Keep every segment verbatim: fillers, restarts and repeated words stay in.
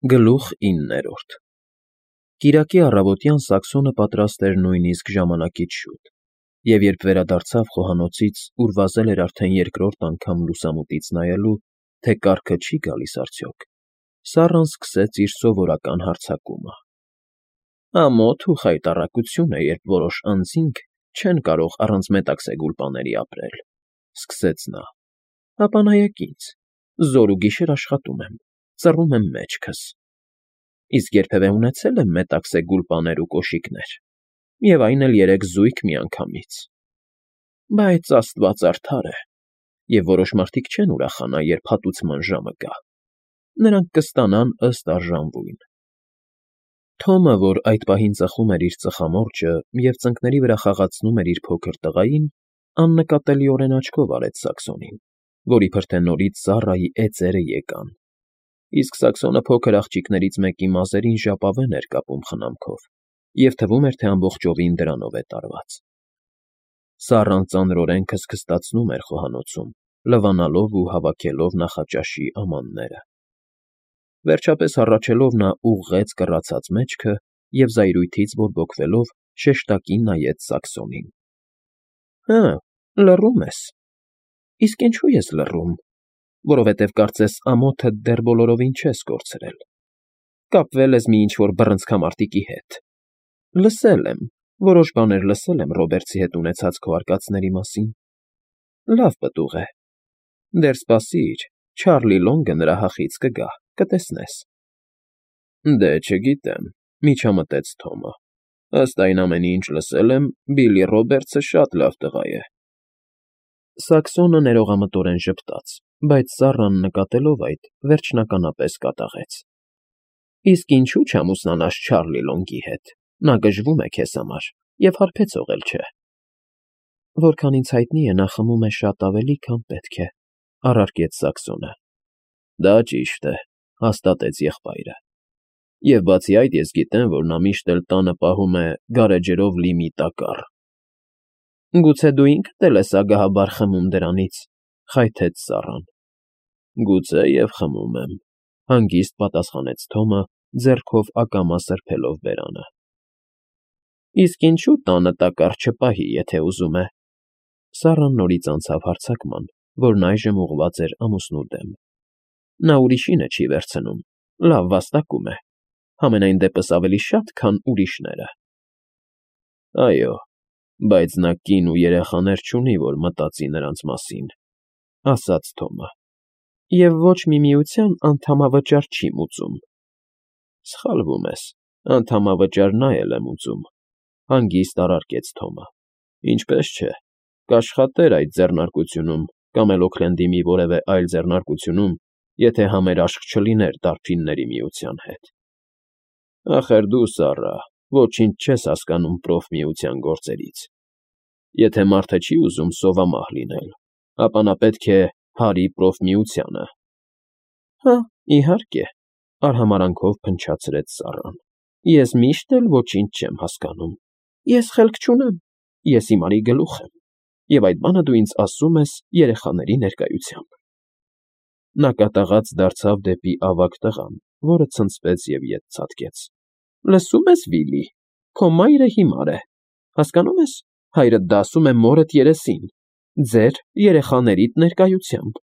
Գլուխ իններորդ Կիրակի առավոտյան Սաքսոնը պատրաստ էր նույնիսկ ժամանակից շուտ, և երբ վերադարձավ խոհանոցից, ուր վազել էր արդեն երկրորդ անգամ լուսամուտից նայելու, թե կառքը չի գալիս արդյոք, Սառան սկսեց իր սովորական հարձակումը. «Ամոթ ու խայտառակություն է, երբ որոշ անձինք չեն կարող առանց Մետաքսե Գուլպաների ապրել,֊ սկսեց նա,֊ հապա նայեք ինձ, զօր ու գիշեր աշխատում եմ, ծռում եմ մեջքս, իսկ երբևէ ունեցե՞լ եմ Մետաքսե Գուլպաներ ու կոշիկներ, և այն էլ երեք զույգ միանգամից… Բայց աստված արդար է, և որոշ մարդիկ չեն ուրախանա, երբ հատուցման ժամը գա, նրանք կստանան ըստ արժանվույն…» Թոմը, որ այդ պահին ծխում էր իր ծխամորճը և ծնկների վրա խաղացնում էր իր փոքր տղային, աննկատելիորեն աչքով արեց Սաքսոնին, որ իբր թե նորից Սառայի էծերը եկան, իսկ Սաքսոնը փոքր աղջիկներից մեկի մազերին ժապավեն էր կապում խնամքով և թվում էր, թե ամբողջովին դրանով է տարված… Սառան ծանրորեն քստքստացնում էր խոհանոցում, լվանալով ու հավաքելով նախաճաշի ամանները… Վերջապես հառաչելով նա ուղղեց կռացած մեջքը և զայրույթից բորբոքվելով շեշտակի նայեց Սաքսոնին. «Հը, լռում ես… Իսկ ինչո՞ւ ես լռում, որովհետև կարծես ամոթդ դեռ բոլորովին չես կորցրել, կապվել ես մի ինչ֊որ բռնցքամարտիկի հետ… Լսել եմ, որոշ բաներ լսել եմ Ռոբերտսի հետ ունեցած քո արկածների մասին… Լավ պտուղ է… Դեռ սպասիր, Չարլի Լոնգը նրա հախից կգա, կտեսնես…»։ ֊ Դե, չգիտեմ,֊ միջամտեց Թոմը,֊ ըստ այն ամենի, ինչ լսել եմ, Բիլլի Ռոբերտսը շատ լավ տղա է… Սաքսոնը ներողամտորեն ժպտաց, բայց Սառան, նկատելով այդ, վերջնականապես կատաղեց. «Իսկ ինչու չամուսնանաս Չարլի Լոնգի հետ, նա գժվում է քեզ համար և հարբեցող էլ չէ»։ ֊ Որքան ինձ հայտնի է, նա խմում է շատ ավելի, քան պետք է,֊ առարկեց Սաքսոնը։ ֊ Դա ճիշտ է,֊ հաստատեց եղբայրը,֊ և բացի այդ, ես գիտեմ, որ նա միշտ էլ տանը պահում է գարեջրով լի մի տակառ… ֊ Գուցե դու ինքդ էլ ես ագահաբար խմում դրանից,֊ խայթեց Սառան։ ֊ Գուցե և խմում եմ,֊ հանգիստ պատասխանեց Թոմը, ձեռքով ակամա սրբելով բերանը։ ֊ Իսկ ինչու՞ տանը տակառ չպահի, եթե ուզում է,֊ Սառան նորից անցավ հարձակման, որն այժմ ուղղված էր ամուսնու դեմ,֊ նա ուրիշինը չի վերցնում, լավ վաստակում է, համենայն դեպս ավելի շատ, քան ուրիշները… ֊ Այո, բայց նա կին ու երեխաներ չունի, որ մտածի նրանց մասին,֊ ասաց Թոմը,֊ և ոչ մի միության անդամավճար չի մուծում։ ֊ Սխալվում ես, անդամավճար նա էլ է մուծում,֊ հանգիստ առարկեց Թոմը,֊ ինչպես չէ, կաշխատեր այդ ձեռնարկությունում կամ էլ Օքլենդի մի որևէ այլ ձեռնարկությունում, եթե համերաշխ չլիներ Դարբինների միության հետ… Ախր դու, Սառա, ոչինչ չես հասկանում проֆմիության գործերից… Եթե մարդը չի ուզում սովամահ լինել, ապա նա պետք է հարի проֆմիությանը… ֊ Հա, իհարկե,֊ արհամարհանքով փնչացրեց Սառան,֊ ես միշտ էլ ոչինչ չեմ հասկանում… Ես խելք չունեմ, ես հիմարի գլուխ եմ, և այդ բանը դու ինձ ասում ես երեխաների ներկայությամբ… Նա կատաղած դարձավ դեպի ավագ տղան, որը ցնցվեց և ետ ցատկեց,֊ Լսո՞ւմ ես, Վիլի, քո մայրը հիմար է, հասկանո՞ւմ ես, հայրդ դա ասում է մորդ երեսին, ձեր երեխաներիդ ներկայությամբ…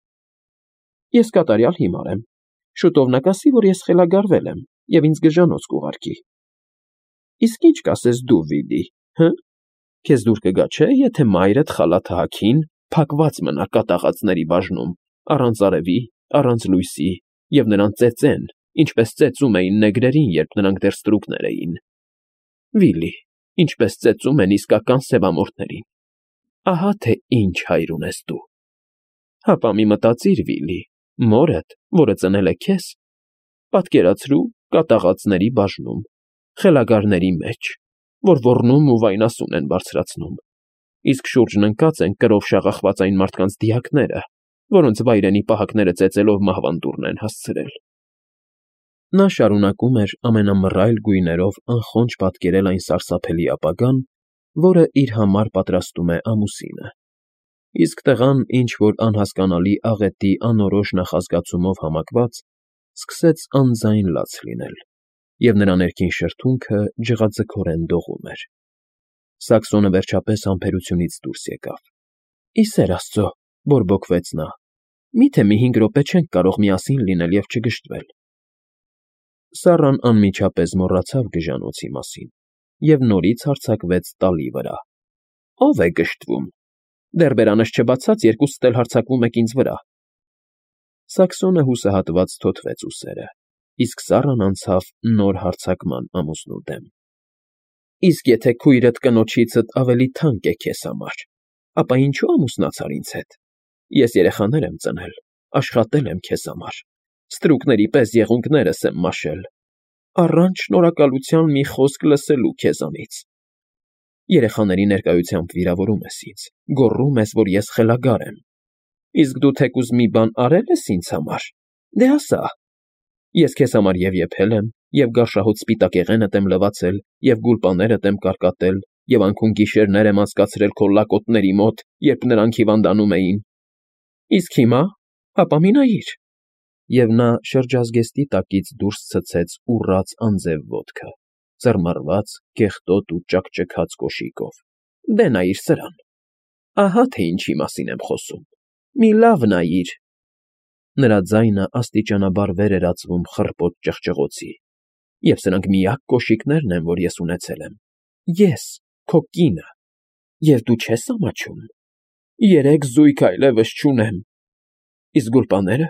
Ես կատարյալ հիմար եմ, շուտով նա կասի, որ ես խելագարվել եմ և ինձ գժանոց կուղարկի… Իսկ ի՞նչ կասես դու, Վիլի, հը… Քեզ դուր կգա, չէ՞, եթե մայրդ խալաթահաքին փակված մնա կատաղածների բաժնում, առանց արևի, առանց լույսի, և նրան ծեծեն, ինչպես ծեծում էին նեգրերին, երբ նրանք դեռ ստրուկներ էին… Վիլի, ինչպես ծեծում են իսկական սևամորթներին… Ահա թե ինչ հայր ունես դու… Հապա մի մտածիր, Վիլի, մորդ, որը ծնել է քեզ, պատկերացրու կատաղածների բաժնում, խելագարների մեջ, որ ոռնում ու վայնասուն են բարձրացնում, իսկ շուրջն ընկած են կրով շաղախված այն մարդկանց դիակները, որոնց վայրենի պահակները ծեծելով մահվանդուռն են հասցրել… Նա շարունակում էր ամենամռայլ գույներով անխոնջ պատկերել այն սարսափելի ապագան, որը իր համար պատրաստում է ամուսինը, իսկ տղան ինչ֊որ անհասկանալի աղետի անորոշ նախազգացումով համակված, սկսեց անձայն լաց լինել, և նրա ներքին շրթունքը ջղաձգորեն դողում էր։ Սաքսոնը վերջապես համբերությունից դուրս եկավ։ ֊ Ի սեր աստծո,֊ բորբոքվեց նա,֊ մի՞թե մի հինգ րոպե չենք կարող միասին լինել և չգժտվել… Սառան անմիջապես մոռացավ գժանոցի մասին և նորից հարձակվեց տալի վրա։ ֊ Ո՞վ է գժտվում… Դեռ բերանս չբացած երկուսդ էլ հարձակվում եք ինձ վրա… Սաքսոնը հուսահատված թոթվեց ուսերը, իսկ սառն անցավ նոր հարձակման ամուսնու դեմ։ ֊ Իսկ եթե քույրդ կնոջիցդ ավելի թանկ է քեզ համար, ապա ինչո՞ւ ամուսնացար ինձ հետ… Ես երեխաներ եմ ծնել, աշխատել եմ քեզ համար, ստրուկների պես եղունգներս եմ մաշել, առանց շնորհակալության մի խոսք լսելու քեզանից… Երեխաների ներկայությամբ վիրավորում ես ինձ, գոռում ես, որ ես խելագար եմ… Իսկ դու թեկուզ մի բան արե՞լ ես ինձ համար… Դե ասա… Ես քեզ համար և եփել եմ, և գարշահոտ սպիտակեղենդ եմ լվացել, և գուլպաներդ եմ կարկատել, և անքուն֊գիշերներ եմ անցկացրել քո լակոտների մոտ, երբ նրանք հիվանդանում էին… Իսկ հիմա… հապա մի նայիր… Եվ նա շրջազգեստի տակից դուրս ցցեց ուռած անձև ոտքը, ծռմռված, կեղտոտ ու ճաքճքած կոշիկով։ Դե նայիր սրան… Ահա թե ինչի մասին եմ խոսում… Մի լավ նայիր… Նրա ձայնը աստիճանաբար վեր էր ածվում խռպոտ ճղճղոցի։ Եվ սրանք միակ կոշիկներն են, որ ես ունեցել եմ… Ես, քո կինը… Եվ դու չե՞ս ամաչում… Երեք զույգ այլևս չունեմ… Իսկ գուլպաները…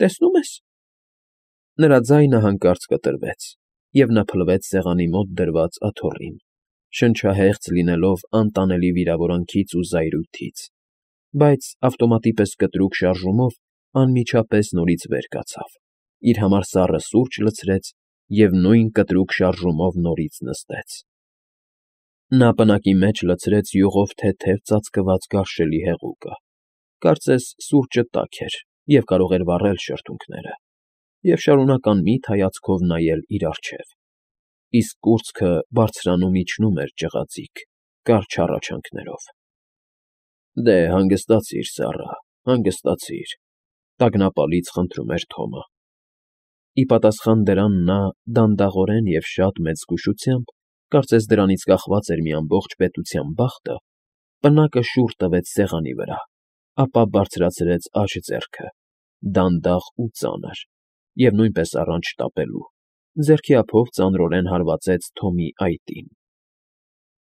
տեսնո՞ւմ ես… Նրա ձայնը հանկարծ կտրվեց, և նա փլվեց սեղանի մոտ դրված աթոռին, շնչահեղձ լինելով անտանելի վիրավորանքից ու զայրույթից, բայց ավտոմատի պես կտրուկ շարժումով անմիջապես նորից վեր կացավ, իր համար սառը սուրճ լցրեց և նույն կտրուկ շարժումով նորից նստեց… Նա պնակի մեջ լցրեց յուղով թեթև ծածկված գարշելի հեղուկը, կարծես սուրճը տաք էր և կարող էր վառել շրթունքները, և շարունակ անմիտ հայացքով նայել իր առջև, իսկ կուրծքը բարձրանում֊իջնում էր ջղաձիգ, կարճ հառաչանքներով։ ֊ Դե, հանգստացիր, սառա, հանգստացիր,֊ տագնապալից խնդրում էր Թոմը։ Ի պատասխան դրան նա դանդաղորեն և շատ մեծ զգուշությամբ, կարծես դրանից կախված էր մի ամբողջ պետության բախտը, պնակը շուռ տվեց սեղանի վրա, ապա բարձրացրեց աջ ձեռքը, դանդաղ ու ծանր, և նույնպես առանց շտապելու, ձեռքի ափով ծանրորեն հարվածեց Թոմի այտին…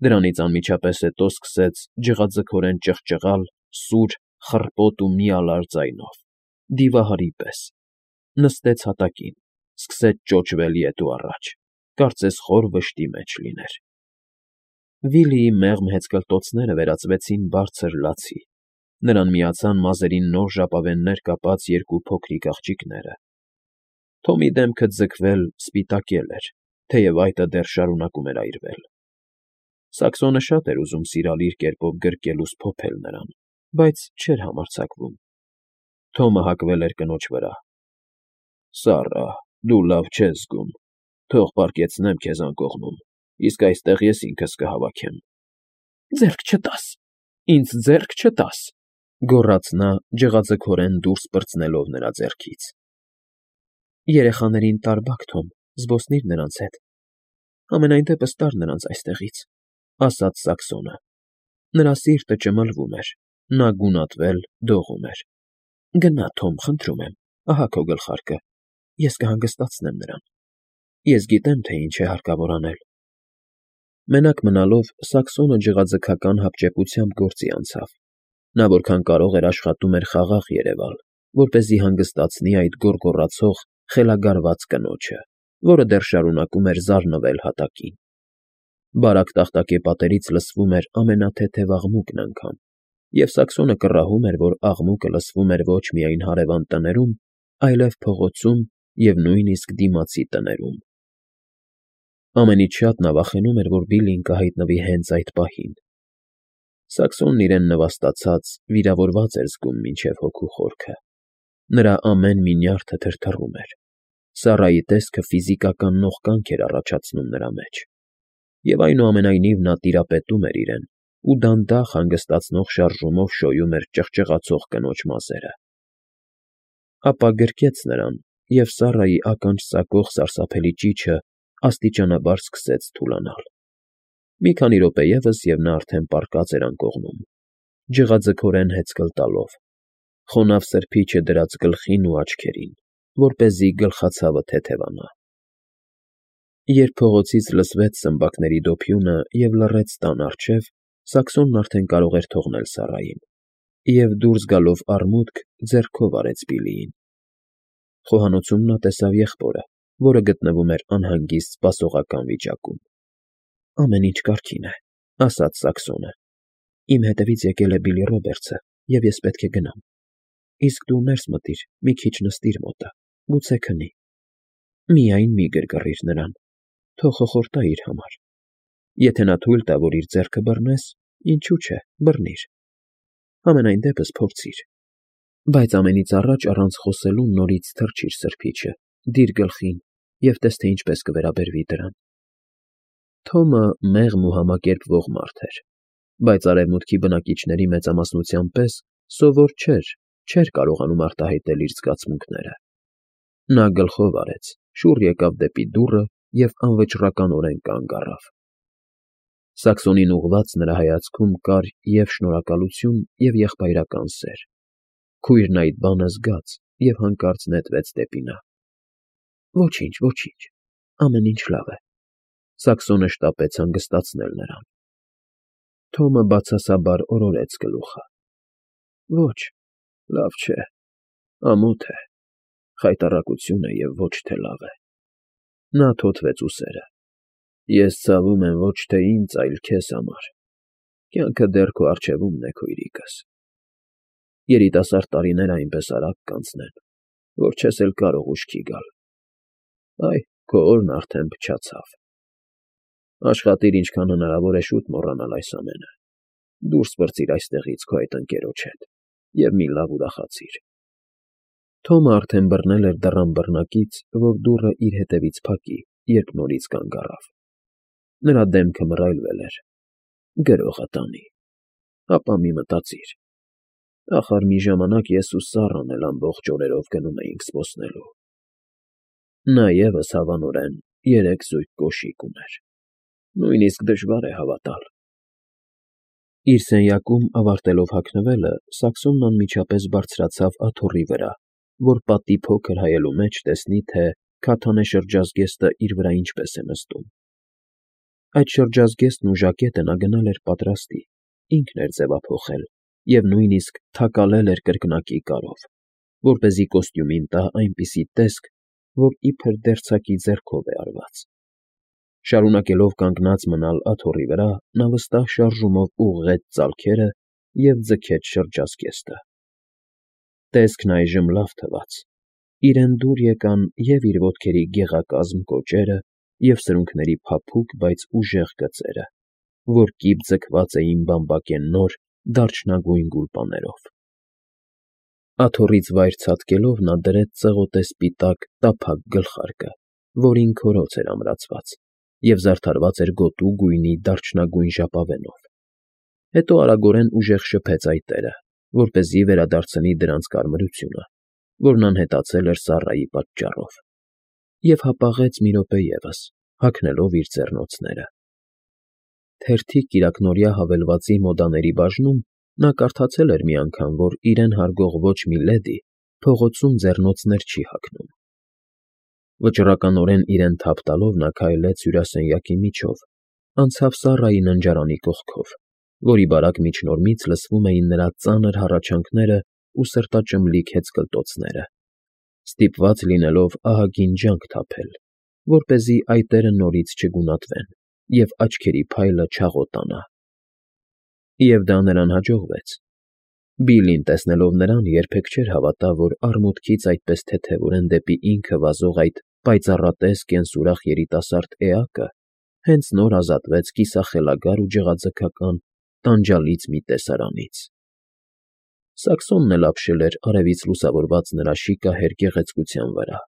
Դրանից անմիջապես հետո սկսեց ջղաձգորեն ճղճղալ սուր, խռպոտ ու միալար ձայնով, դիվահարի պես, նստեց հատակին, սկսեց ճոճվել ետ ու առաջ, կարծես խոր վշտի մեջ լիներ… Վիլիի մեղմ հեծկլտոցները վերածվեցին բարձր լացի, նրան միացան մազերին նոր ժապավեններ կապած երկու փոքրիկ աղջիկները… Թոմի դեմքը ձգվել, սպիտակել էր, թեև այտը դեռ շարունակում էր այրվել… Սաքսոնը շատ էր ուզում սիրալիր կերպով գրկել ու սփոփել նրան, բայց չէր համարձակվում… Թոմը հակվել էր կնոջ վրա։ ֊ Սառա, դու լավ չես զգում, թող պառկեցնեմ քեզ անկողնում, իսկ այստեղ ես ինքս կհավաքեմ… ֊ Ձեռք չտաս… Ինձ ձեռք չտաս…֊ գոռաց նա՝ ջղաձգորեն դուրս պրծնելով նրա ձեռքից։ ֊ Երեխաներին տարբաք, Թոմ, զբոսնիր նրանց հետ… Համենայն դեպս տար նրանց այստեղից…֊ ասաց Սաքսոնը։ Նրա սիրտը ճմլվում էր, նա գունատվել, դողում էր։ ֊ Գնա, Թոմ, խնդրում եմ, ահա քո գլխարկը, ես կհանգստացնեմ նրան… Ես գիտեմ, թե ինչ է հարկավոր անել… Մենակ մնալով Սաքսոնը ջղաձգական հապճեպությամբ գործի անցավ. նա որքան կարող էր աշխատում էր խաղաղ երևալ, որպեսզի հանգստացնի այդ գոռգոռացող, խելագարված կնոջը, որը դեռ շարունակում էր զարնվել հատակին… Բարակ տախտակե պատերից լսվում էր ամենաթեթև աղմուկն անգամ, և Սաքսոնը կռահում էր, որ աղմուկը լսվում էր ոչ միայն հարևան տներում, այլև փողոցում և նույնիսկ դիմացի տներում… Ամենից շատ նա վախենում էր, որ Բիլլին կհայտնվի հենց այդ պահին… Սաքսոնն իրեն նվաստացած, վիրավորված էր զգում մինչև հոգու խորքը, նրա ամեն մի նյարդը թրթռում էր, Սառայի տեսքը ֆիզիկական նողկանք էր առաջացնում նրա մեջ… Եվ այնուամենայնիվ նա տիրապետում էր իրեն ու դանդաղ հանգստացնող շարժումով շոյում էր ճղճղացող կնոջ մազերը… Ապա գրկեց նրան, և Սառայի ականջ ծակող սարսափելի ճիչը աստիճանաբար սկսեց թուլանալ։ Մի քանի րոպե ևս, և նա արդեն պառկած էր անկողնում, ջղաձգորեն հեծկլ տալով, խոնավ սրբիչը դրած գլխին ու աչքերին, որպեսզի գլխացավը թեթևանա։ Երբ փողոցից լսվեց սմբակների դոփյունը և լռեց տան առջև, Սակսոնն արդեն կարող էր թողնել Սառային և, դուրս գալով արմուտք, ձեռքով արեց Բիլլիին։ Խոհանոցում նա տեսավ եղբորը, որը գտնվում էր անհանգիստ սպասողական վիճակում։ ֊ Ամեն ինչ կարգին է,֊ ասաց Սակսոնը։ ֊ Իմ հետևից եկել է Բիլլի Ռոբերտսը, և ես պետք է գնամ։ Իսկ դու ներս մտիր, մի քիչ նստիր մոտը, գուցե քնի։ Միայն մի գրգռիր նրան, թող խխորտա իր համար։ Եթե նա թույլ տա, որ իր ձեռքը բռնես, ինչու՞ չէ, բռնիր, համենայն դեպս փորձիր։ Բայց ամենից առաջ առանց խոսելու նորից թռչիր սրբիչը, դիր գլխին և տես, թե ինչպես կվերաբերվի դրան։ Թոմը մեղմ ու համակերպվող մարդ էր, բայց արևմուտքի բնակիչների մեծամասնության պես սովոր չէր, չէր կարողանում արտահայտել իր զգացմունքները։ Նա գլխով արեց, շուռ եկավ դեպի դուռը և անվճռականորեն կանգ առավ։ Սակսոնին ուղղված նրա հայացքում կար և՛ շնորհակալություն, և՛ եղբայրական սեր։ Քույրն այդ բանը զգաց և հանկարծ նետվեց դեպի նա։ ֊ Ոչինչ, ոչինչ, ամեն ինչ լավ է,֊ Սակսոնը շտապեց հանգստացնել նրան։ Թոմը բացասաբար օրորեց գլուխը։ ֊ Ոչ, լավ չէ, ամոթ է, խայտառակություն է և ոչ թե լավ է։ Նա թոթվեց ուսերը։ Ես ցավում եմ ոչ թե ինձ, այլ քեզ համար։ Կյանքը դեռ քո առջևումն է, քույրիկս։ Երիտասարդ տարիները այնպես արագ կանցնեն, որ չես էլ կարող ուշքի գալ։ Այ քո օրն արդեն փչացավ։ Աշխատիր ինչքան հնարավոր է շուտ մոռանալ այս ամենը, դուրս պրծիր այստեղից քո այդ ընկերոջ հետ և մի լավ ուրախացիր։ Թոմը արդեն բռնել էր դռան բռնակից, որ դուռը իր հետևից փակի, երբ նորից կանգ առավ։ Նրա դեմքը մռայլվել էր։ Գրողը տանի։ Ապա մի մտածիր. ախար մի ժամանակ ես ու Սառան էլ ամբողջ օրերով գնում էինք զբոսնելու։ Նա ևս, հավանորեն, երեք զույգ կոշիկ ուներ։ Նույնիսկ դժվար է հավատալ։ Իր սենյակում ավարտելով հագնվելը, Սակսոնն անմիջապես բարձրացավ աթոռի վրա, որ պատի փոքր հայելու մեջ տեսնի, թե քաթանե շրջազգեստը իր վրա ինչպես է նստում։ Այդ շրջազգեստն ու ժակետը նա գնալ էր պատրաստի, ինքն էր ձևափոխել և նույնիսկ թակալել էր կրկնակի կարով, որպեսզի կոստյումին տա այնպիսի տեսք, որ իբր դերձակի ձեռքով է արված։ Շարունակելով կանգնած մնալ աթոռի վրա, նա վստահ շարժումով ուղղեց ծալքերը և ձգեց շրջազգեստը։ Տեսքն այժմ լավ թվաց։ Իրեն դուր եկան և՛ իր ոտքերի գեղակազմ կոճերը, և՛ սրունքների փափուկ, բայց ուժեղ գծերը, որ կիպ ձգված էին բամբակեննոր, դարչնագույն գուլպաներով։ Աթոռից վայր ցատկելով նա դրեց ծղոտե սպիտակ, տափակ գլխարկը, որին քորոց էր ամրացված, և զարդարված էր գոտու գույնի դարչնագույն ժապավենով։ Հետո արագորեն ուժեղ շփեց այտերը, որպեսզի վերադարձնի դրանց կարմրությունը, որն անհետացել էր Սառայի պատճառով, և հապաղեց մի րոպե ևս, հագնելով իր ձեռնոցները։ Թերթիկ կիրակնօրյա հավելվածի մոդաների բաժնում նա կարդացել էր մի անգամ, որ իրեն հարգող ոչ մի լեդի փողոցում ձեռնոցներ չի հագնում։ Վճռականորեն իրեն թափ տալով նա քայլեց հյուրասենյակի միջով, անցավ Սառայի ննջարանի կողքով, որի բարակ միջնորմից լսվում էին նրա ծանր հառաչանքներն ու սրտաճմլիկ հեծկլտոցները, ստիպված լինելով ահագին ջանք թափել, որպեսզի այտերը նորից չգունատվեն և աչքերի փայլը չաղոտանա։ Եվ դա նրան հաջողվեց։ Բիլլին, տեսնելով նրան, երբեք չէր հավատա, որ արմուտքից այդպես թեթևորեն դեպի ինքը վազող այդ պայծառատես կենսուրախ երիտասարդ էակը հենց նոր ազատվեց կիսախելագար ու ջղաձգական տանջալից մի տեսարանից։ Սակսոնն էլ ապշել էր արևից լուսավորված նրա շիկահեր գեղեցկության վրա։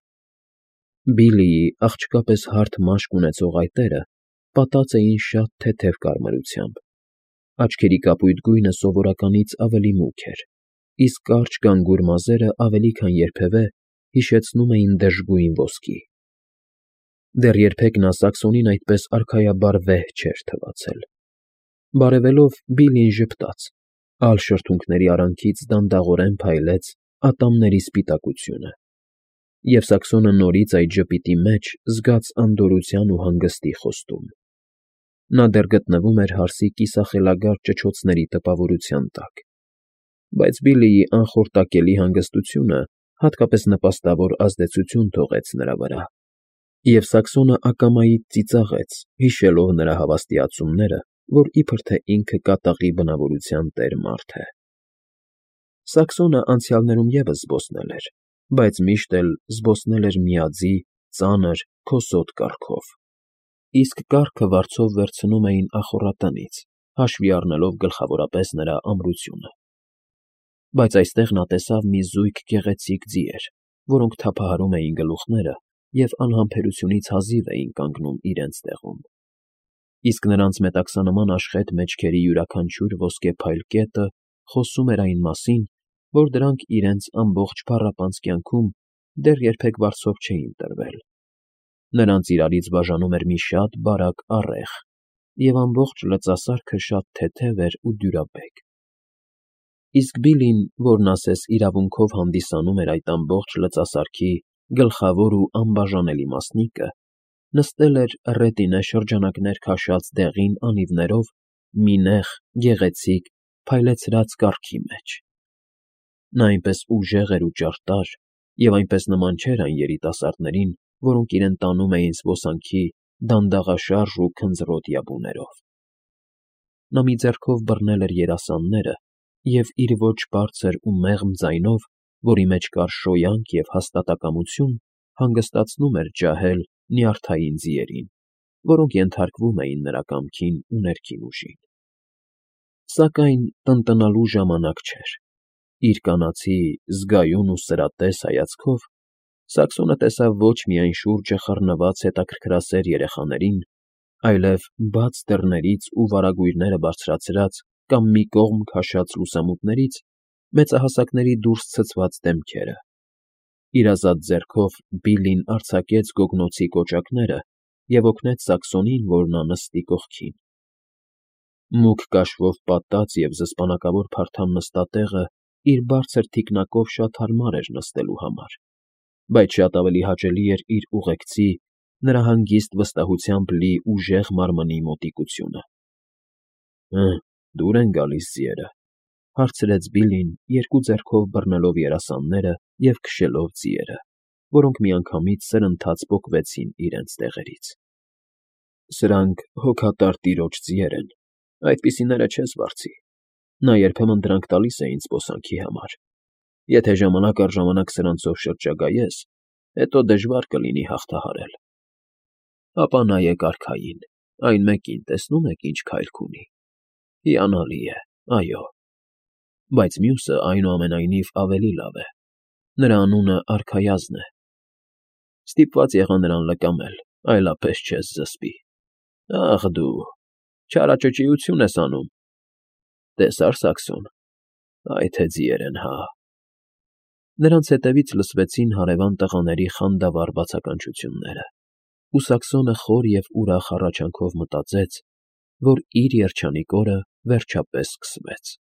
Բիլլիի աղջկա պես հարթ մաշկ ունեցող այտերը պատած էին շատ թեթև կարմրությամբ, աչքերի կապույտ գույնը սովորականից ավելի մուգ էր, իսկ կարճ գանգուր մազերը ավելի քան երբևէ հիշեցնում էին դժգույն ոսկի։ Դեռ երբեք նա Սակսոնին այդպես արքայաբար վեհ չէր թվացել։ Բարևելով Բիլլին ժպտաց, ալ շրթունքների արանքից դանդաղորեն փայլեց ատամների սպիտակությունը, և Սակսոնը նորից այդ ժպիտի մեջ զգաց անդորրության ու հանգստի խոստում։ Նա դեռ գտնվում էր հարսի կիսախելագար ճչոցների տպավորության տակ, բայց Բիլլիի անխորտակելի հանգստությունը հատկապես նպաստավոր ազդեցություն թողեց նրա վրա, և Սակսոնը ակամայից ծիծաղեց, հիշելով նրա հավաստիացումները, որ իբր թե ինքը կատաղի բնավորության տեր մարդ է։ Սակսոնը անցյալներում ևս զբոսնել էր, բայց միշտ էլ զբոսնել էր միաձի, ծանր, քոսոտ կառքով, իսկ կառքը վարձով վերցնում էին ախոռատնից, հաշվի առնելով գլխավորապես նրա ամրությունը։ Բայց այստեղ նա տեսավ մի զույգ գեղեցիկ ձիեր, որոնք թափահարում էին գլուխները և անհամբերությունից հազիվ էին կանգնում իրենց տեղում, իսկ նրանց մետաքսանման աշխատ մեջքերի յուրաքանչյուր ոսկեփայլ կետը խոսում էր այն մասին, որ դրանք իրենց ամբողջ փառապանծ կյանքում դեռ երբեք վարձով չէին տրվել։ Նրանց իրարից բաժանում էր մի շատ բարակ առեղ, և ամբողջ լծասարքը շատ թեթև էր ու դյուրաբեկ։ Իսկ Բիլլին, որն ասես իրավունքով հանդիսանում էր այդ ամբողջ լծասարքի գլխավոր ու անբաժանելի մասնիկը, նստել էր ռետինե շրջանակներ քաշած դեղին անիվներով մի նեղ, գեղեցիկ, փայլեցրած կառքի մեջ։ Նա այնպես ուժեղ էր ու ճարտար և այնպես նման չէր այն երիտասարդներին, որոնք իրեն տանում էին զբոսանքի դանդաղաշարժ ու քնձռոտ յաբուներով։ Նա մի ձեռքով բռնել էր երասանները և իր ոչ բարձր ու մեղմ ձայնով, որի մեջ կար շոյանք և հաստատակամություն, հանգստացնում էր ջահել նյարդային ձիերին, որոնք ենթարկվում էին նրա կամքին ու ներքին ուժին։ Սակայն տնտնալու ժամանակ չէր։ Իր կանացի, զգայուն ու սրատես հայացքով Սակսոնը տեսավ ոչ միայն շուրջը խռնված հետաքրքրասեր երեխաներին, այլև բաց դռներից ու վարագույրները բարձրացրած կամ մի կողմ քաշած լուսամուտներից մեծահասակների դուրս ցցված դեմքերը։ Իր ազատ ձեռքով Բիլլին արձակեց գոգնոցի կոճակները և օգնեց Սակսոնին, որ նա նստի կողքին։ Մուգ կաշվով պատած և զսպանակավոր փարթամ նստատեղը իր բարձր թիկնակով շատ հարմար էր նստելու համար, բայց շատ ավելի հաճելի էր իր ուղեկցի, նրա հանգիստ վստահությամբ լի ուժեղ մարմնի մոտիկությունը։ ֊ Հը, դուր են գալիս ձիերը,֊ հարցրեց Բիլլին, երկու ձեռքով բռնելով երասանները և քշելով ձիերը, որոնք միանգամից սրընթաց պոկվեցին իրենց տեղերից։ ֊ Սրանք հոգատար տիրոջ ձիեր են, այդպիսիները չես վարձի։ Նա երբեմն դրանք տալիս է ինձ զբոսանքի համար։ Եթե ժամանակ առ ժամանակ սրանցով շրջագայես, հետո դժվար կլինի հաղթահարել։ Ապա նայեք արքային, այն մեկին տեսնո՞ւմ եք ինչ քայլք ունի։ Հիանալի է, այո։ Բայց մյուսը, այնուամենայնիվ, ավելի լավ է։ Նրա անունը Արքայազն է։ Ստիպված եղա նրան լկամել, այլապես չես զսպի։ Ախ դու, չարաճճիություն ես անում։ Տեսա՞ր, Սակսոն, այ թե ձիեր են, հա… Նրանց հետևից լսվեցին հարևան տղաների խանդավառ բացականչությունները, ու Սակսոնը խոր և ուրախ հառաչանքով մտածեց, որ իր երջանիկ օրը վերջապես սկսվեց։